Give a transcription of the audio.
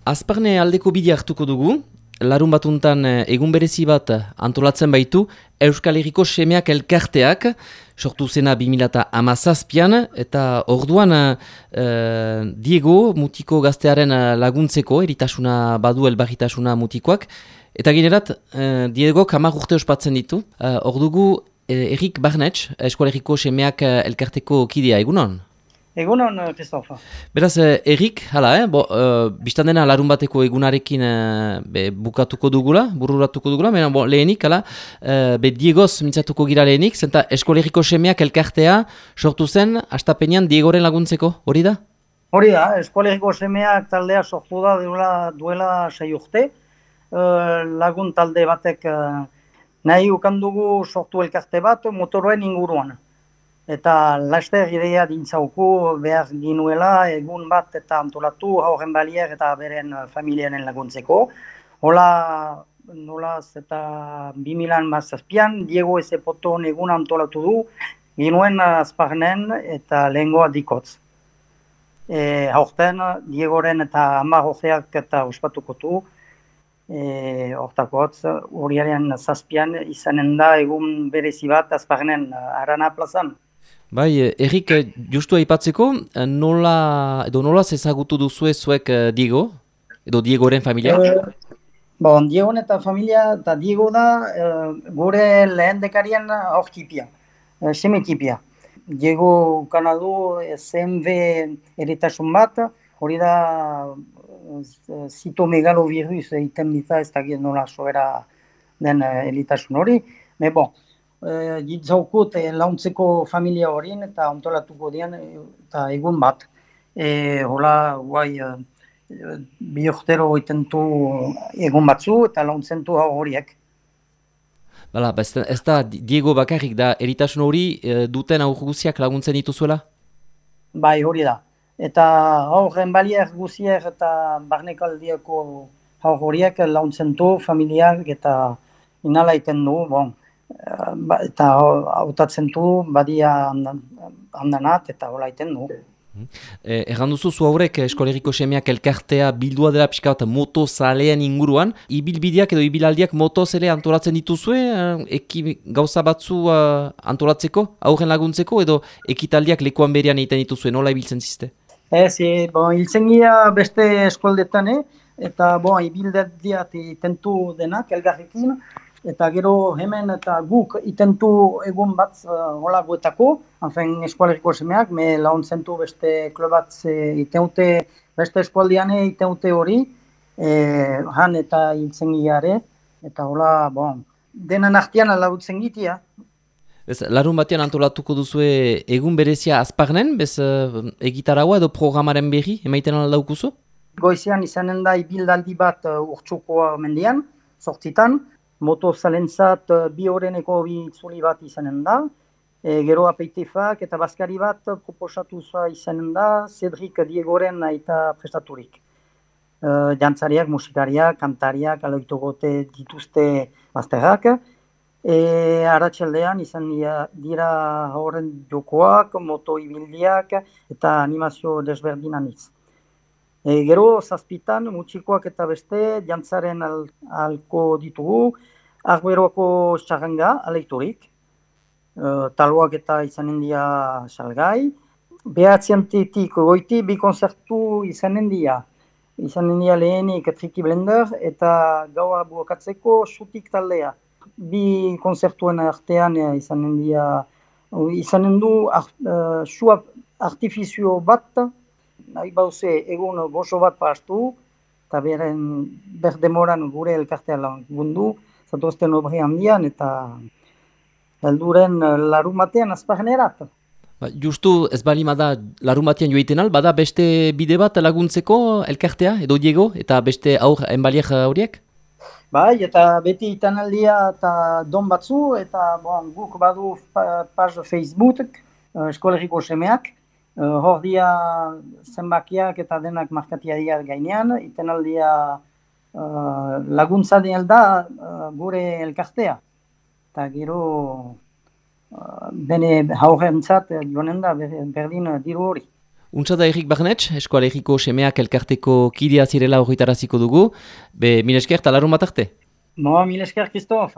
Azparne aldeko bidea hartuko dugu, larun batuntan egun berezi bat antolatzen baitu Euskal Herriko Semeak elkarteak, sortu zena 2017an, eta orduan Diego mutiko gaztearen laguntzeko, eritasuna badu elbarritasuna mutikoak, eta generat Diego 10 urte ospatzen ditu. Ordugu Erik Barnetx, Euskal Herriko Semeak elkarteko kidea, egunon? Egunon, Christophe. Beraz, Erik, hala, biztan dena larun bateko egunarekin bururatuko dugula, baina lehenik, hala, Diegoz mintzatuko gira lehenik, zenta Euskal Herriko Semeak elkartea sortu zen, astapenean Diegoren laguntzeko, hori da? Hori da, Euskal Herriko Semeak taldea sortu da duela 6 urte, lagun talde batek nahi ukandugu sortu elkarte bat motoroen inguruan. Eta laster ideia dintzauku behar ginuela egun bat eta antolatu haurren balier eta beren familiaren laguntzeko. Hola, nolaz eta 2017an Diego Ezepoton egun antolatu du ginuen Azparnen eta lehengoa Dikotz. Haurten Diegoren eta 10 urteak eta ospatuko du. Hortakotz, urriaren 7an izanen da egun berezi bat Azparnen Arana plazan. Bai, Erik, justu aipatzeko, nola ezagutu duzue zuek Diego, edo Diegoren familia? Diegoren eta familia, eta Diego da gure lehendekarien aurkipia, semetipia. Diego kanadu CMV eritasun bat, hori da zitomegalovirus egiten dita, ez dakit nola sobera den eritasun hori. Ditzaukut launtzeko familia horien eta antolatuko dian eta egun bat. Hola, guai, 2 urtero itentu egun batzu eta launtzentu horiek. Bala, ez da Diego bakarrik da eritasun hori duten aur guziak laguntzen dituzuela? Bai, hori da. Eta aurren balier guziek eta barnekaldiako aur horiek launtzentu familiak eta inala iten du, eta hautatzen du badia handanat eta hola iten du. Erran duzu zu haurek Euskal Herriko Semeak elkartea bildua dela pixka bat motozaleen inguruan. Ibilbideak edo ibilaldiak motozele antolatzen dituzue, gauza batzu antolatzeko, aurren laguntzeko, edo ekitaldiak lekuan berean egiten dituzue, nola ibiltzen ziste? Hiltzen gira beste eskoldetan, eta ibildiak itentu denak elgarrekin, eta gero hemen eta guk itentu egun bat hola guetako, Euskal Herriko Semeak, me launtzen du beste klobat iteute, beste eskualdian iteute hori, han eta hiltzen giare, eta hola, denan artean lagutzen gitia. Larun batean antolatuko duzue egun berezia Azparnen, bez egitaraua edo programaren berri, emaiten aldaukuzu? Goizean izanen da ibildaldi bat urtsuko mendian, 8 motozalentzat 2 horreneko itzuli bat izanen da, gero apeitifak eta bazkari bat proposatu izanen da, Cedric Diegoren eta prestaturik. Jantzariak, musikariak, kantariak, aloitogote dituzte bazterrak. Arratsaldean izan dira horren jokoak, moto ibildiak eta animazio desberdinanitz. Gero 7 mutxikoak eta beste jantzaren alko ditugu, Arberoako txarranga aleiturik, taloak eta izanen dira salgai, 9 goiti 2 konzertu izanen dira lehenik Triki Blender eta gaua bukatzeko Sutik taldea. 2 konzertuen artean izanen du su artifizio bat, nahi bauze egun gozo bat pastu, eta berdemoran gure elkartea lagundu, zatozten obri handian eta helduren larun batean Azparnerat. Justu ez balimada larun batean joiten al, bada beste bide bat laguntzeko elkartea edo Diego eta beste aur enbaliek horiek? Bai, eta beti itanaldia eta don batzu, eta guk badu paz Facebook, Euskal Herriko Semeak, hor dia zenbakiak eta denak markatia dira gainean, itanaldia laguntza da gure elkartea. Eta gero bene haurrentzat joanen da berdin diru hori. Untsa da Erik Barnetx, Eskoalegiko Semeak elkarteko kidea zirela horretaraziko dugu. Mil esker, eta larun bat arte? Mil esker, Kristof.